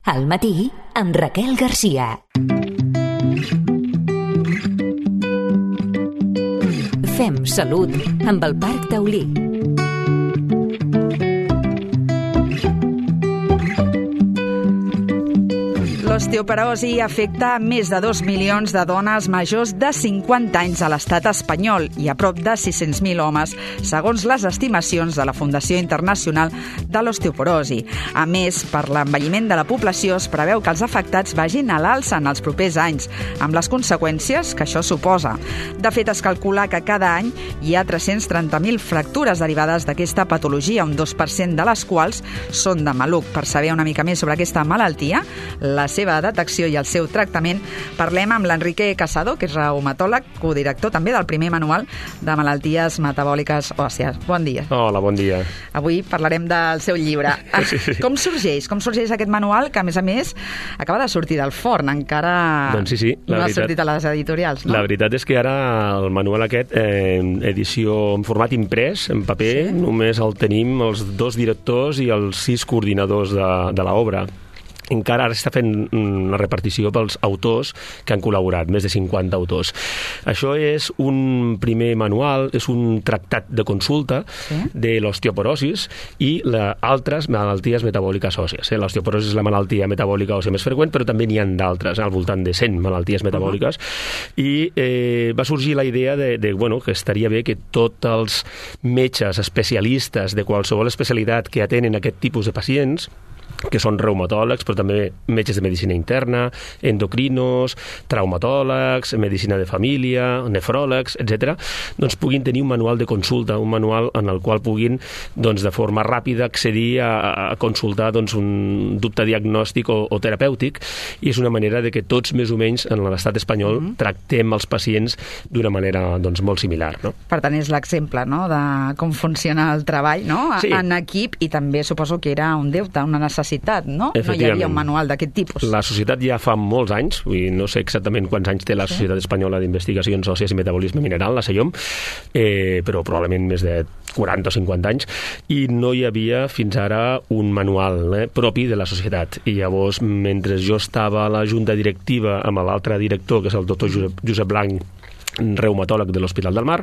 Al matí, amb Raquel Garcia. Fem salut amb el Parc Taulí. L'osteoporosi afecta més de 2 milions de dones majors de 50 anys a l'estat espanyol i a prop de 600.000 homes, segons les estimacions de la Fundació Internacional de l'Osteoporosi. A més, per l'envelliment de la població es preveu que els afectats vagin a l'alça en els propers anys, amb les conseqüències que això suposa. De fet, es calcula que cada any hi ha 330.000 fractures derivades d'aquesta patologia, un 2% de les quals són de maluc. Per saber una mica més sobre aquesta malaltia, la seva detecció i el seu tractament, parlem amb l'Enrique Casado, que és reumatòleg, codirector també del primer manual de malalties metabòliques òssies. Bon dia. Hola, bon dia. Avui parlarem del seu llibre. Sí. Com sorgeix aquest manual, que a més acaba de sortir del forn, encara doncs sí, no ha sortit a les editorials, no? La veritat és que ara el manual aquest, edició en format imprès, en paper, només el tenim els 2 directors i els 6 coordinadors de l'obra. Encara ara està fent una repartició pels autors que han col·laborat, més de 50 autors. Això és un primer manual, és un tractat de consulta de l'osteoporosis i altres malalties metabòliques òssies. L'osteoporosi és la malaltia metabòlica òssia més freqüent, però també n'hi ha d'altres, al voltant de 100 malalties metabòliques. I va sorgir la idea que estaria bé que tots els metges especialistes de qualsevol especialitat que atenen aquest tipus de pacients, que són reumatòlegs, però també metges de medicina interna, endocrinos, traumatòlegs, medicina de família, nefròlegs, etc., doncs puguin tenir un manual de consulta, un manual en el qual puguin, doncs, de forma ràpida accedir a consultar un dubte diagnòstic o terapèutic, i és una manera de que tots, més o menys, en l'estat espanyol, tractem els pacients d'una manera molt similar. No? Per tant, és l'exemple, no?, de com funciona el treball, no?, en equip, i també suposo que era un deute, una necessitat, no? No hi havia un manual d'aquest tipus. La societat ja fa molts anys, no sé exactament quants anys té la Societat Espanyola d'Investigacions Òssies i Metabolisme Mineral, la SEIOM, però probablement més de 40 o 50 anys, i no hi havia fins ara un manual propi de la societat. I llavors, mentre jo estava a la junta directiva amb l'altre director, que és el doctor Josep Blanc, reumatòleg de l'Hospital del Mar,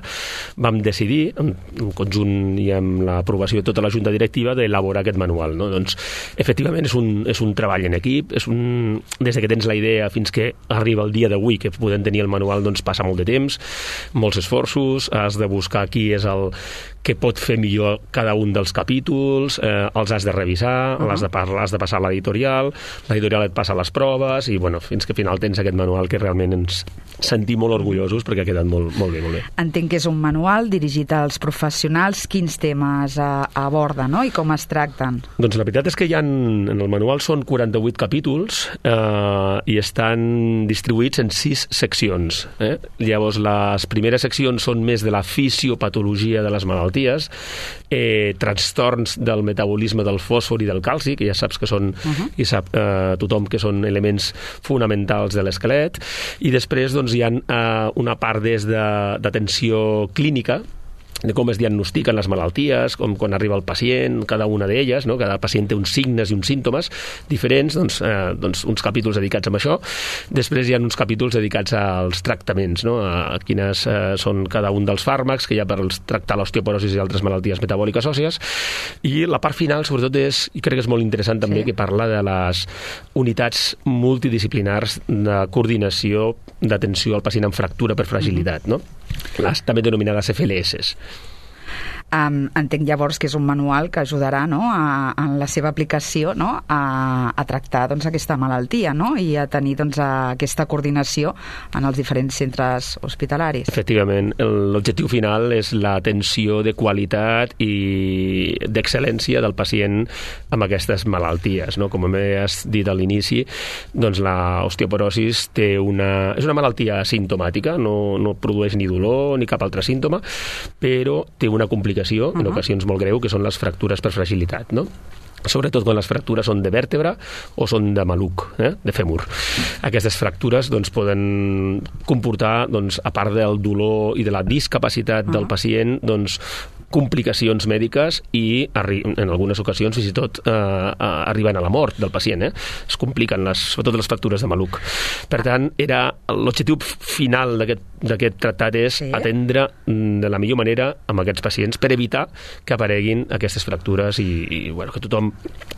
vam decidir, en conjunt i amb l'aprovació de tota la junta directiva, d'elaborar aquest manual. No? Doncs, efectivament, és un treball en equip, des que tens la idea fins que arriba el dia d'avui que podem tenir el manual, doncs passa molt de temps, molts esforços, has de buscar qui és el que pot fer millor cada un dels capítols, els has de revisar, has de passar a l'editorial et passa les proves, i fins que al final tens aquest manual que realment ens sentim molt orgullosos perquè ha quedat molt bé. Entenc que és un manual dirigit als professionals. Quins temes aborda, no?, i com es tracten? Doncs la veritat és que en el manual són 48 capítols i estan distribuïts en 6 seccions. Llavors, les primeres seccions són més de la fisiopatologia de les malalties, trastorns del metabolisme del fòsfor i del calci, que ja saps que són, i sap tothom que són elements fonamentals de l'esquelet, i després hi ha una part d'atenció clínica, de com es diagnostiquen les malalties, com quan arriba el pacient, cada una d'elles, no? Cada pacient té uns signes i uns símptomes diferents, uns capítols dedicats a això. Després hi ha uns capítols dedicats als tractaments, no? A quines són cada un dels fàrmacs que hi ha per tractar l'osteoporosi i altres malalties metabòliques òssies. I la part final, sobretot, i crec que és molt interessant també, que parla de les unitats multidisciplinars de coordinació d'atenció al pacient amb fractura per fragilitat, no? Les també denominades FLS. Entenc llavors que és un manual que ajudarà, no?, en la seva aplicació, no?, a tractar aquesta malaltia, no?, i a tenir aquesta coordinació en els diferents centres hospitalaris. Efectivament, l'objectiu final és l'atenció de qualitat i d'excel·lència del pacient amb aquestes malalties, no? Com has dit a l'inici, doncs l'osteoporosi és una malaltia asimptomàtica, no produeix ni dolor ni cap altre símptoma, però té una complicació en ocasions molt greu, que són les fractures per fragilitat, no? Sobretot quan les fractures són de vèrtebra o són de maluc, de fèmur. Aquestes fractures poden comportar, a part del dolor i de la discapacitat del pacient, complicacions mèdiques i en algunes ocasions fins i tot arriben a la mort del pacient. Es compliquen sobretot les fractures de maluc. Per tant, l'objectiu final d'aquest tractat és atendre de la millor manera amb aquests pacients per evitar que apareguin aquestes fractures i que tothom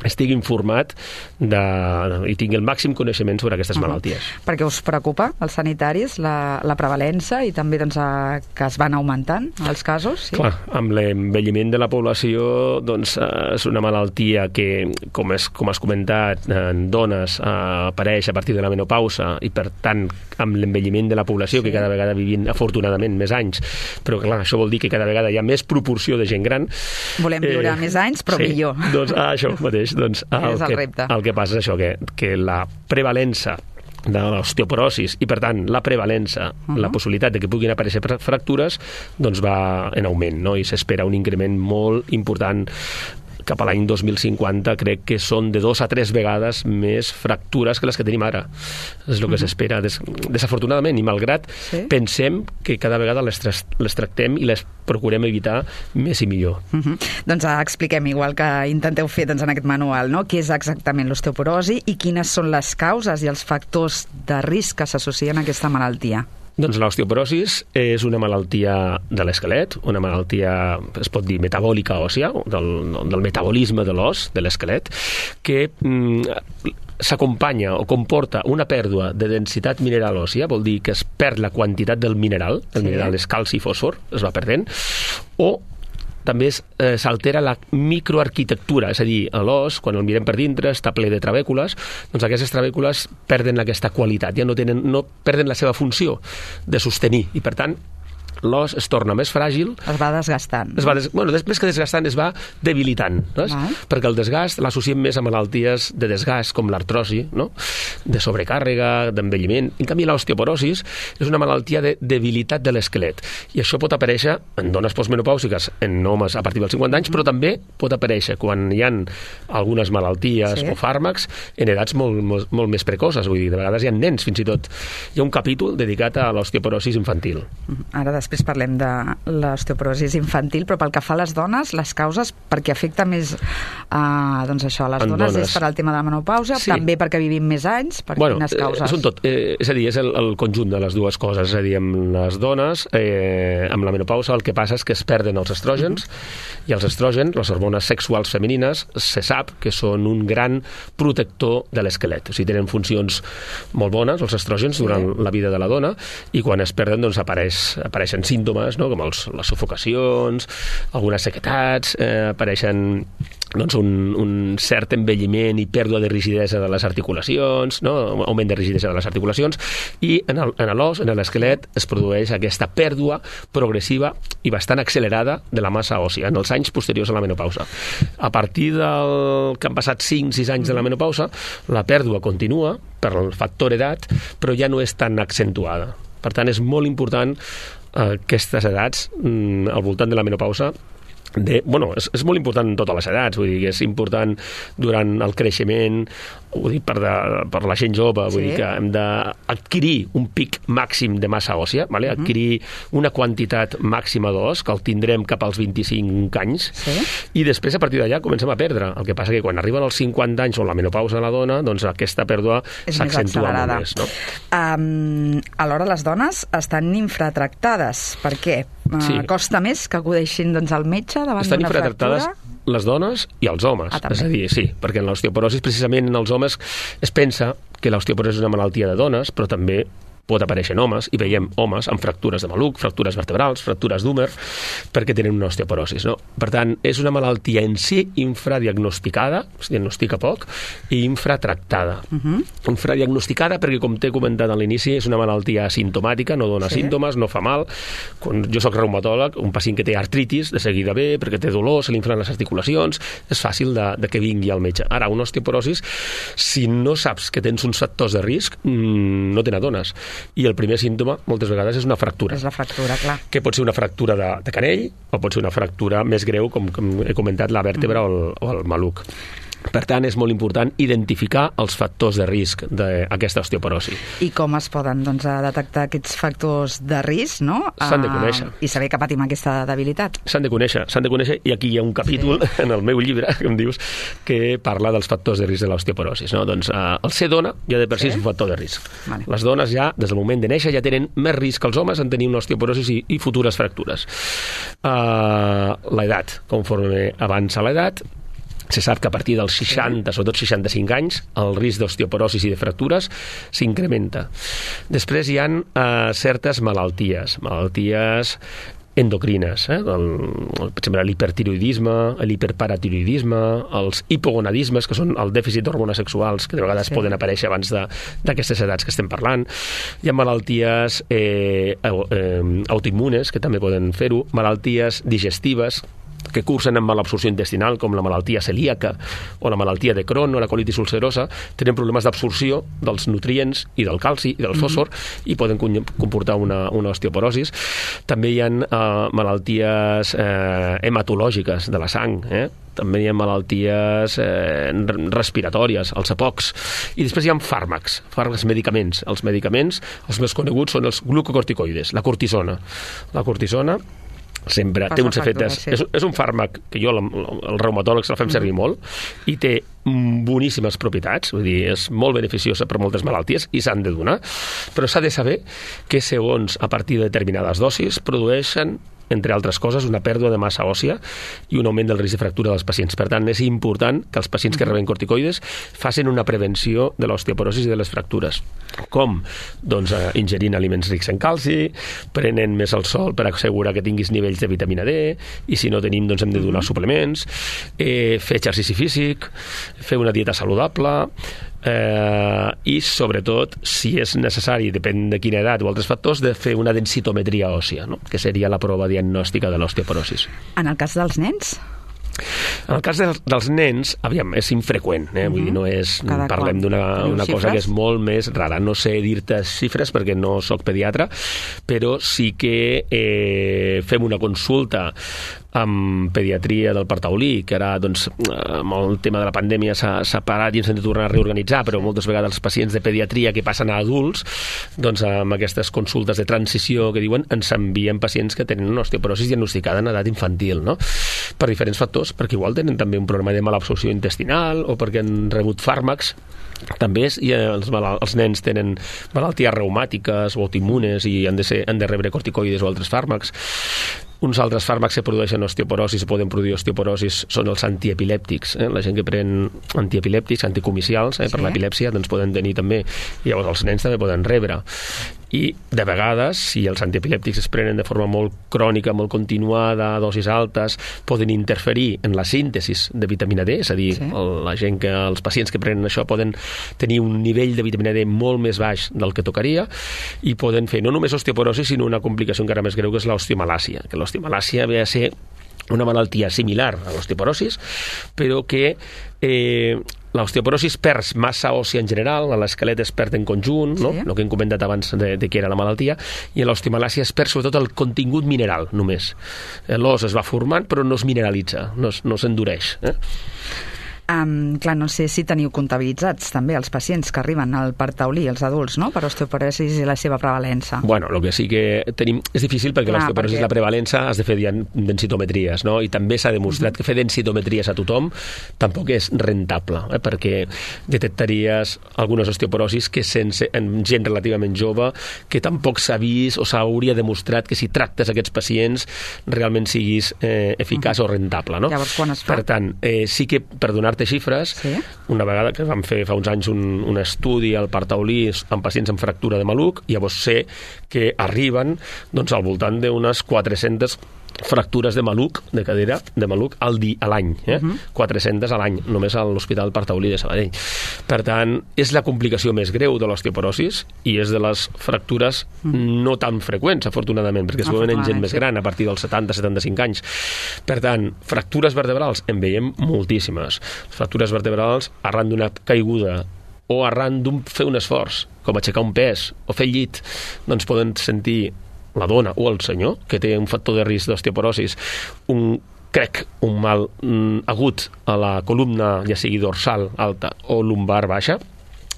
estigui informat i tingui el màxim coneixement sobre aquestes malalties. Perquè us preocupa, els sanitaris, la prevalença i també que es van augmentant els casos? Sí? Clar, amb l'envelliment de la població és una malaltia que, com has comentat, en dones apareix a partir de la menopausa i, per tant, amb l'envelliment de la població, que cada vegada vivim, afortunadament, més anys, però clar, això vol dir que cada vegada hi ha més proporció de gent gran. Volem viure més anys, però millor. Doncs això mateix. És el repte. El que passa és això, que la prevalença de l'osteoporosis i, per tant, la prevalença, la possibilitat de que puguin aparèixer fractures, doncs va en augment, no? I s'espera un increment molt important cap a l'any 2050. Crec que són de 2 a 3 vegades més fractures que les que tenim ara. És el que s'espera. Desafortunadament, i malgrat pensem que cada vegada les tractem i les procurem evitar més i millor. Doncs expliquem, igual que intenteu fer en aquest manual, no? Què és exactament l'osteoporosi i quines són les causes i els factors de risc que s'associen a aquesta malaltia. Doncs l'osteoporosis és una malaltia de l'esquelet, una malaltia, es pot dir, metabòlica òssia, del metabolisme de l'os, de l'esquelet, que s'acompanya o comporta una pèrdua de densitat mineral òssia, vol dir que es perd la quantitat del mineral, el mineral és calci i fòsfor, es va perdent, o també s'altera la microarquitectura, és a dir, l'os, quan el mirem per dintre, està ple de trabècules, doncs aquestes trabècules perden aquesta qualitat, ja no perden la seva funció de sostenir, i per tant l'os es torna més fràgil. Es va desgastant. Després que desgastant es va debilitant, perquè el desgast l'associem més a malalties de desgast, com l'artrosi, no? De sobrecàrrega, d'envelliment. En canvi, l'osteoporosis és una malaltia de debilitat de l'esquelet. I això pot aparèixer en dones postmenopàusiques, en homes a partir dels 50 anys, però també pot aparèixer quan hi ha algunes malalties o fàrmacs en edats molt més precoces. Vull dir, de vegades hi ha nens, fins i tot. Hi ha un capítol dedicat a l'osteoporosis infantil. Ara després parlem de l'osteoporosis infantil, però pel que fa a les dones, les causes, perquè afecta més a les dones, és per al tema de la menopausa, també perquè vivim més anys, per quines causes? És un tot, és a dir, és el conjunt de les dues coses, és a dir, amb les dones, amb la menopausa, el que passa és que es perden els estrògens, i els estrògens, les hormones sexuals femenines, se sap que són un gran protector de l'esquelet, o sigui, tenen funcions molt bones, els estrògens, durant la vida de la dona, i quan es perden, doncs apareixen símptomes, no? Com les sufocacions, algunes sequetats, apareixen un cert envelliment i pèrdua de rigidesa de les articulacions, no? Augment de rigidesa de les articulacions, i en l'os, en l'esquelet, es produeix aquesta pèrdua progressiva i bastant accelerada de la massa òssia en els anys posteriors a la menopausa. A partir que han passat 5-6 anys de la menopausa, la pèrdua continua per el factor edat, però ja no és tan accentuada. Per tant, és molt important aquestes edats, al voltant de la menopausa, és molt important en totes les edats, vull dir que és important durant el creixement, vull dir, per la gent jove, vull dir que hem d'adquirir un pic màxim de massa òssia, adquirir una quantitat màxima d'os, que el tindrem cap als 25 anys, i després a partir d'allà comencem a perdre. El que passa que quan arriben els 50 anys o la menopausa a la dona, doncs aquesta pèrdua s'accentua molt més. No? Alhora les dones estan infratractades. Per què? Costa més que acudeixin al metge davant d'una fractura? Estan infratractades les dones i els homes. És a dir, perquè en l'osteoporosis, precisament en els homes, es pensa que l'osteoporosi és una malaltia de dones, però també pot aparèixer en homes, i veiem homes amb fractures de maluc, fractures vertebrals, fractures d'húmer, perquè tenen una osteoporosis. No? Per tant, és una malaltia en si infradiagnosticada, es diagnostica poc, i infratractada. Infradiagnosticada perquè, com t'he comentat a l'inici, és una malaltia asimptomàtica, no dona símptomes, no fa mal. Quan jo soc reumatòleg, un pacient que té artritis, de seguida ve, perquè té dolor, se li inflen les articulacions, és fàcil de que vingui al metge. Ara, una osteoporosis, si no saps que tens uns factors de risc, no te n'adones. I el primer símptoma, moltes vegades, és una fractura. És la fractura, clar. Que pot ser una fractura de canell o pot ser una fractura més greu, com he comentat, la vèrtebra o el maluc. Per tant, és molt important identificar els factors de risc d'aquesta osteoporosi. I com es poden detectar aquests factors de risc, no? S'han de conèixer. I saber que patim aquesta debilitat. S'han de conèixer, i aquí hi ha un capítol en el meu llibre, que em dius, que parla dels factors de risc de l'osteoporosi. No? Doncs el ser dona ja de per si és un factor de risc. Vale. Les dones ja, des del moment de néixer, ja tenen més risc que els homes en tenir una osteoporosi i futures fractures. L'edat, conforme avança l'edat, se sap que a partir dels 60, sobretot 65 anys, el risc d'osteoporosis i de fractures s'incrementa. Després hi ha certes malalties endocrines, per exemple l'hipertiroidisme, l'hiperparatiroidisme, els hipogonadismes, que són el dèficit d'hormones sexuals, que de vegades poden aparèixer abans d'aquestes edats que estem parlant. Hi ha malalties autoimmunes, que també poden fer-ho, malalties digestives, que cursen amb malabsorció intestinal, com la malaltia celíaca o la malaltia de Crohn o la colitis ulcerosa, tenen problemes d'absorció dels nutrients i del calci i del fòsfor i poden comportar una osteoporosis. També hi ha malalties hematològiques de la sang, també hi ha malalties respiratòries, els EPOCs, i després hi ha fàrmacs, medicaments. Els medicaments, els més coneguts són els glucocorticoides, la cortisona. La cortisona sempre té uns efectes... És un fàrmac que jo, el reumatòleg, se la fem servir molt i té boníssimes propietats, vull dir, és molt beneficiosa per moltes malalties i s'han de donar, però s'ha de saber que segons a partir de determinades dosis produeixen, entre altres coses, una pèrdua de massa òssia i un augment del risc de fractura dels pacients. Per tant, és important que els pacients que reben corticoides facin una prevenció de l'osteoporosi i de les fractures. Com? Doncs ingerint aliments rics en calci, prenent més el sol per assegurar que tinguis nivells de vitamina D, i si no tenim, doncs hem de donar suplements, fer exercici físic, fer una dieta saludable, i sobretot, si és necessari, depèn de quina edat o altres factors, de fer una densitometria òssia, no? Que seria la prova diagnòstica de l'osteoporosis. En el cas dels nens? En el cas dels nens, aviam, és infreqüent, vull dir, no és... Parlem d'una cosa que és molt més rara. No sé dir-te xifres perquè no sóc pediatre, però sí que fem una consulta amb pediatria del Parc Taulí, que ara, doncs, amb el tema de la pandèmia s'ha parat i ens hem de tornar a reorganitzar, però moltes vegades els pacients de pediatria que passen a adults, doncs amb aquestes consultes de transició que diuen, ens envien pacients que tenen una osteoporosi diagnosticada en edat infantil, no? Per diferents factors, perquè igual tenen també un problema de malabsorció intestinal o perquè han rebut fàrmacs. També els nens tenen malalties reumàtiques o autoimmunes i han de rebre corticoides o altres fàrmacs. Uns altres fàrmacs que produeixen osteoporosis o poden produir osteoporosis són els antiepilèptics. La gent que pren antiepilèptics, anticomicials, per l'epilèpsia, doncs poden tenir també, i llavors els nens també poden rebre. I de vegades, si els antiepilèptics es prenen de forma molt crònica, molt continuada, a dosis altes, poden interferir en la síntesis de vitamina D, és a dir, els pacients que prenen això poden tenir un nivell de vitamina D molt més baix del que tocaria i poden fer no només osteoporosi, sinó una complicació encara més greu, que és l'osteomalàsia, que l'osteomalàsia ve a ser una malaltia similar a l'osteoporosis, però que l'osteoporosis perd massa òssia en general, l'esquelet es perd en conjunt, no? El que hem comentat abans de què era la malaltia, i en l'osteomalàsia es perd sobretot el contingut mineral, només. L'os es va formant, però no es mineralitza, no s'endureix. Clar, no sé si teniu comptabilitzats també els pacients que arriben al Parc Taulí, els adults, no?, per osteoporosis i la seva prevalença. Bueno, el que sí que tenim és difícil perquè l'osteoporosis i la prevalença has de fer densitometries, no? I també s'ha demostrat que fer densitometries a tothom tampoc és rentable, perquè detectaries algunes osteoporosis que en gent relativament jove que tampoc s'ha vist o s'hauria demostrat que si tractes aquests pacients realment siguis eficaç o rentable, no? Llavors, quan es fa? Per tant, sí que, per donar xifres, una vegada que vam fer fa uns anys un estudi al Parc Taulí amb pacients amb fractura de maluc, llavors sé que arriben al voltant d'unes 400 fractures de maluc, de cadera de maluc a l'any, 400 a l'any, només a l'Hospital Parc Taulí de Sabadell. Per tant, és la complicació més greu de l'osteoporosis i és de les fractures no tan freqüents, afortunadament, perquè es veuen en gent més gran, a partir dels 70-75 anys. Per tant, fractures vertebrals en veiem moltíssimes. Fractures vertebrals arran d'una caiguda o arran d'un fer un esforç, com aixecar un pes o fer llit, doncs poden sentir la dona o el senyor, que té un factor de risc d'osteoporosis, un crec, un mal agut a la columna, ja sigui dorsal alta o lumbar baixa,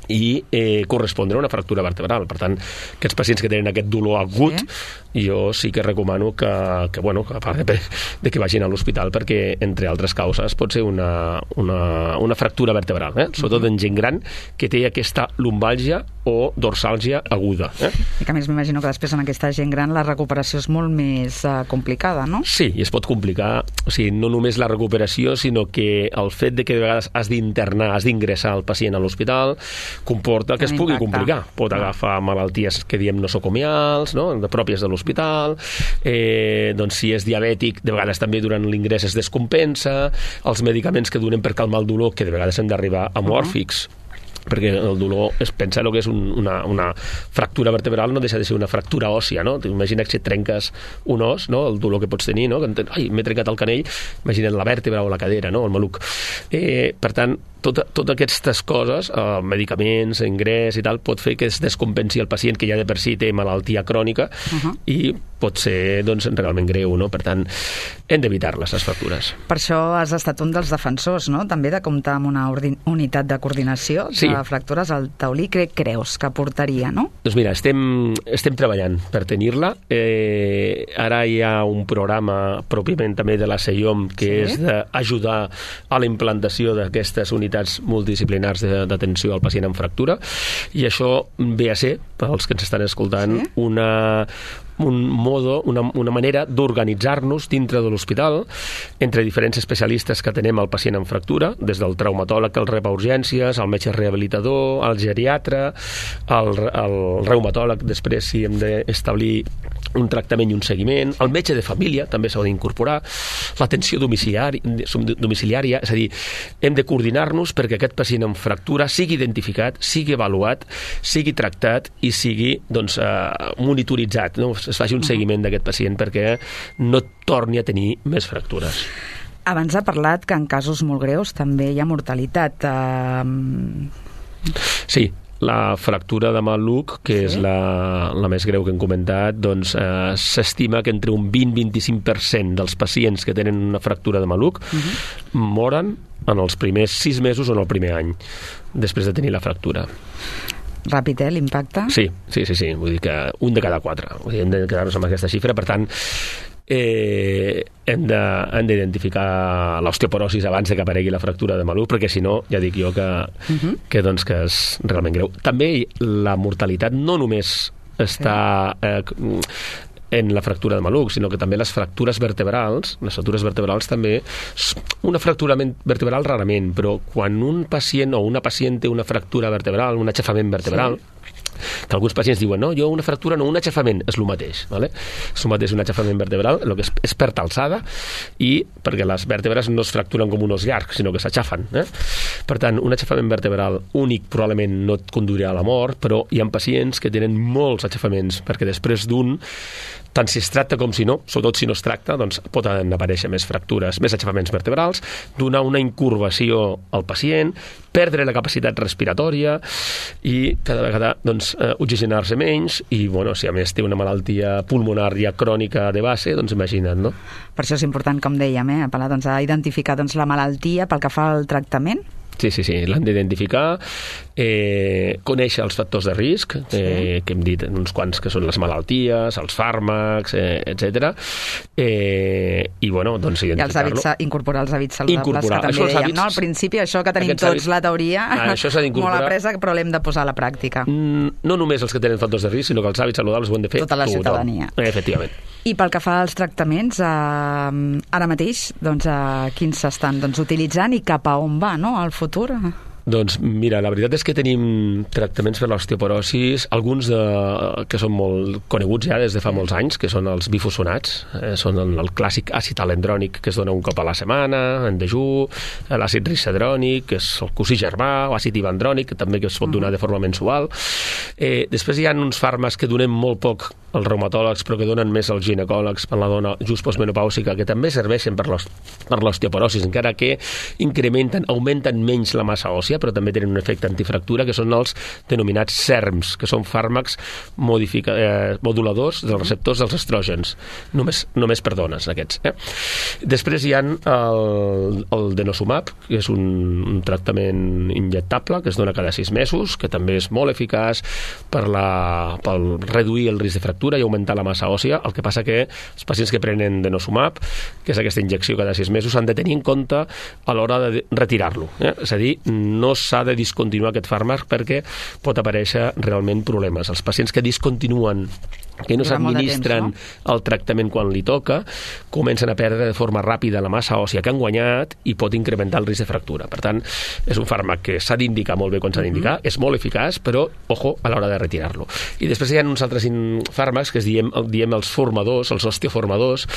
i correspondre a una fractura vertebral. Per tant, aquests pacients que tenen aquest dolor agut, jo sí que recomano que a part de que vagin a l'hospital, perquè, entre altres causes, pot ser una fractura vertebral, sobretot en gent gran que té aquesta lumbàlgia o dorsàlgia aguda. I que a més m'imagino que després en aquesta gent gran la recuperació és molt més complicada, no? Sí, i es pot complicar, o sigui, no només la recuperació, sinó que el fet de que de vegades has d'internar, has d'ingressar el pacient a l'hospital, comporta que es pugui complicar. Pot agafar malalties que diem nosocomials, no? Pròpies de l'hospital, doncs si és diabètic, de vegades també durant l'ingrés es descompensa, els medicaments que donem per calmar el dolor, que de vegades hem d'arribar amòrfics, perquè el dolor, pensar que és una fractura vertebral no deixa de ser una fractura òssia, no? Imagina que si et trenques un os, no? El dolor que pots tenir, no? Ai, m'he trencat el canell, imagina't la vèrtebra o la cadera, no? El maluc. Per tant, totes aquestes coses, medicaments, ingrés i tal, pot fer que es descompensi el pacient que ja de per si té malaltia crònica i pot ser doncs, realment greu, no? Per tant, hem d'evitar-les, les fractures. Per això has estat un dels defensors, no? També de comptar amb una unitat de coordinació de fractures al Taulí. Què creus que portaria, no? Doncs mira, estem treballant per tenir-la. Ara hi ha un programa pròpiament també de la CEIOM que és d'ajudar a la implantació d'aquestes unitats multidisciplinars d'atenció al pacient amb fractura, i això ve a ser, pels que ens estan escoltant, una manera d'organitzar-nos dintre de l'hospital entre diferents especialistes que tenem al pacient amb fractura, des del traumatòleg que el rep a urgències, el metge rehabilitador, el geriatre, el reumatòleg, després si hem d'establir un tractament i un seguiment, el metge de família també s'ha d'incorporar, l'atenció domiciliària, és a dir, hem de coordinar-nos perquè aquest pacient amb fractura sigui identificat, sigui avaluat, sigui tractat i sigui monitoritzat, no? Es faci un seguiment d'aquest pacient perquè no torni a tenir més fractures. Abans ha parlat que en casos molt greus també hi ha mortalitat. Sí, la fractura de maluc, que és la més greu que hem comentat, doncs s'estima que entre un 20-25% dels pacients que tenen una fractura de maluc moren en els primers 6 mesos o en el primer any després de tenir la fractura. Ràpid, l'impacte? Sí. Vull dir que un de cada 4. Vull dir, hem de quedar-nos amb aquesta xifra. Per tant, hem d'identificar l'osteoporosi abans de que aparegui la fractura de maluc, perquè si no, ja dic jo que és realment greu. També la mortalitat no només està en la fractura de maluc, sinó que també les fractures vertebrals també, una fractura vertebral rarament, però quan un pacient o una pacient té una fractura vertebral, un aixafament vertebral, que alguns pacients diuen, no, jo una fractura no, un aixafament, és el mateix, ¿vale? És el mateix un aixafament vertebral, el que es perd alçada, i perquè les vèrtebres no es fracturen com un os llarg, sinó que s'aixafen. Per tant, un aixafament vertebral únic probablement no et conduirà a la mort, però hi ha pacients que tenen molts aixafaments, perquè després d'un, tant si es tracta com si no, sobretot si no es tracta, doncs poden aparèixer més fractures, més aixafaments vertebrals, donar una incurvació al pacient, perdre la capacitat respiratòria i cada vegada oxigenar-se menys i, si a més té una malaltia pulmonar ja crònica de base, doncs imagina't, no? Per això és important, com dèiem, apel·lar a identificar la malaltia pel que fa al tractament. Sí, l'han d'identificar, conèixer els factors de risc, que hem dit uns quants que són les malalties, els fàrmacs, etc. I, doncs, identificar-lo. I incorporar els hàbits saludables, que també dèiem, no? Al principi, això que tenim tots la teoria molt apresa, però l'hem de posar a la pràctica. No només els que tenen factors de risc, sinó que els hàbits saludables ho hem de fer tota la ciutadania. Efectivament. I pel que fa als tractaments, ara mateix, quins s'estan utilitzant i cap a on va, no?, al futur? Doncs mira, la veritat és que tenim tractaments per l'osteoporosis, alguns que són molt coneguts ja des de fa molts anys, que són els bifosfonats, són el clàssic àcid alendrònic que es dona un cop a la setmana, en dejú, l'àcid risedrònic, que és el cosí germà, o àcid ivandrònic, que també es pot donar de forma mensual. Després hi ha uns fàrmacs que donem molt poc els reumatòlegs, però que donen més als ginecòlegs per la dona just postmenopàusica, que també serveixen per l'osteoporosi, encara que augmenten menys la massa òssia, però també tenen un efecte antifractura, que són els denominats SERMs, que són fàrmacs moduladors dels receptors dels estrògens, només per dones, aquests. Després hi ha el denosumab, que és un tractament injectable que es dona cada 6 mesos, que també és molt eficaç per reduir el risc de fractura i augmentar la massa òssia. El que passa que els pacients que prenen denosumab, que és aquesta injecció cada 6 mesos, han de tenir en compte a l'hora de retirar-lo. És a dir, no s'ha de discontinuar aquest fàrmac perquè pot aparèixer realment problemes. Els pacients que discontinuen, que no s'administren el tractament quan li toca, comencen a perdre de forma ràpida la massa òssia que han guanyat i pot incrementar el risc de fractura. Per tant, és un fàrmac que s'ha d'indicar molt bé quan s'ha d'indicar, és molt eficaç, però, ojo, a l'hora de retirar-lo. I després hi ha uns altres fàrmacs que diem els formadors, els osteoformadors,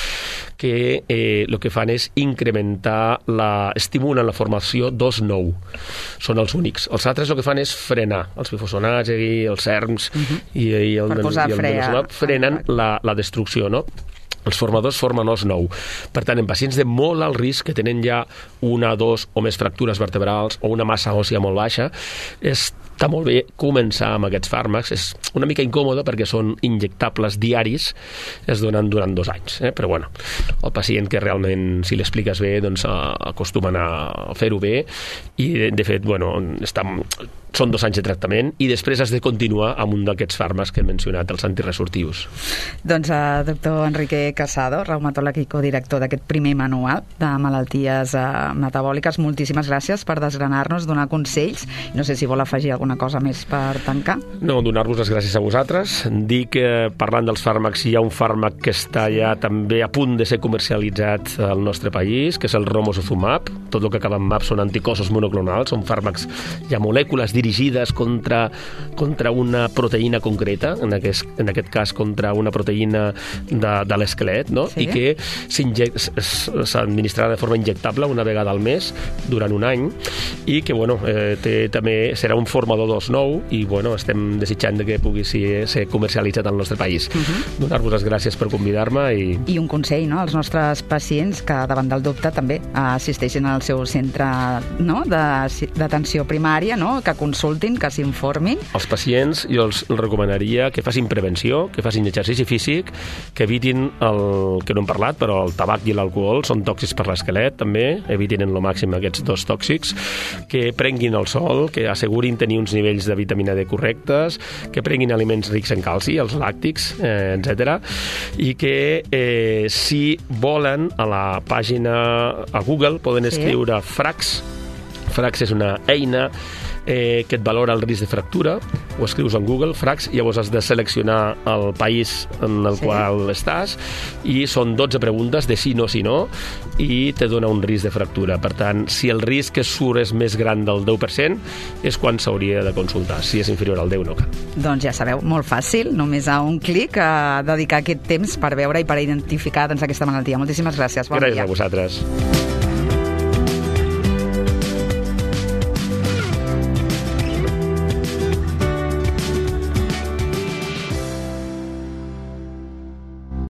que el que fan és incrementar, estimulen la formació d'os nou. Són els únics. Els altres el que fan és frenar. Els bifosfonats, els SERMs i el denosumab frenen la destrucció, no? Els formadors formen os nou. Per tant, en pacients de molt alt risc, que tenen ja 1, 2 o més fractures vertebrals o una massa òssia molt baixa, està molt bé començar amb aquests fàrmacs. És una mica incòmode perquè són injectables diaris, es donen durant 2 anys. Però bueno, el pacient que realment, si l'expliques bé, doncs acostumen a fer-ho bé i, de fet, bueno, són 2 anys de tractament i després has de continuar amb un d'aquests fàrmacs que he mencionat, els antiresortius. Doncs, doctor Enrique Casado, reumatòleg i codirector d'aquest primer manual de malalties metabòliques, moltíssimes gràcies per desgranar-nos, donar consells. No sé si vol afegir alguna cosa més per tancar. No, donar-vos les gràcies a vosaltres. Dir que, parlant dels fàrmacs, hi ha un fàrmac que està ja també a punt de ser comercialitzat al nostre país, que és el romosozumab. Tot el que acaba en map són anticossos monoclonals, són fàrmacs, hi ha molècules dirigides contra una proteïna concreta, en aquest cas contra una proteïna de l'esquelet, no? Sí. I que s'administrarà de forma injectable una vegada al mes durant un any i que bueno, també serà un formador d'os nou i bueno, estem desitjant que pugui ser comercialitzat al nostre país. Donar-vos les gràcies per convidar-me i un consell, no?, als nostres pacients que davant del dubte també assisteixin al seu centre, no?, d'atenció primària, no?, que consultin, que s'informin. Els pacients jo els recomanaria que facin prevenció, que facin exercici físic, que evitin el que no hem parlat, però el tabac i l'alcohol són tòxics per l'esquelet, també, evitin en lo màxim aquests 2 tòxics, que prenguin el sol, que assegurin tenir uns nivells de vitamina D correctes, que prenguin aliments rics en calci, els làctics, etc. I que si volen a la pàgina a Google poden escriure FRAX. FRAX és una eina que et valora el risc de fractura, ho escrius en Google, FRAX, i llavors has de seleccionar el país en el qual estàs i són 12 preguntes de sí, no, i te dona un risc de fractura. Per tant, si el risc que surt és més gran del 10%, és quan s'hauria de consultar. Si és inferior al 10, no cal. Doncs ja sabeu, molt fàcil, només a un clic dedicar aquest temps per veure i per identificar aquesta malaltia. Moltíssimes gràcies. Bon dia. Gràcies a vosaltres.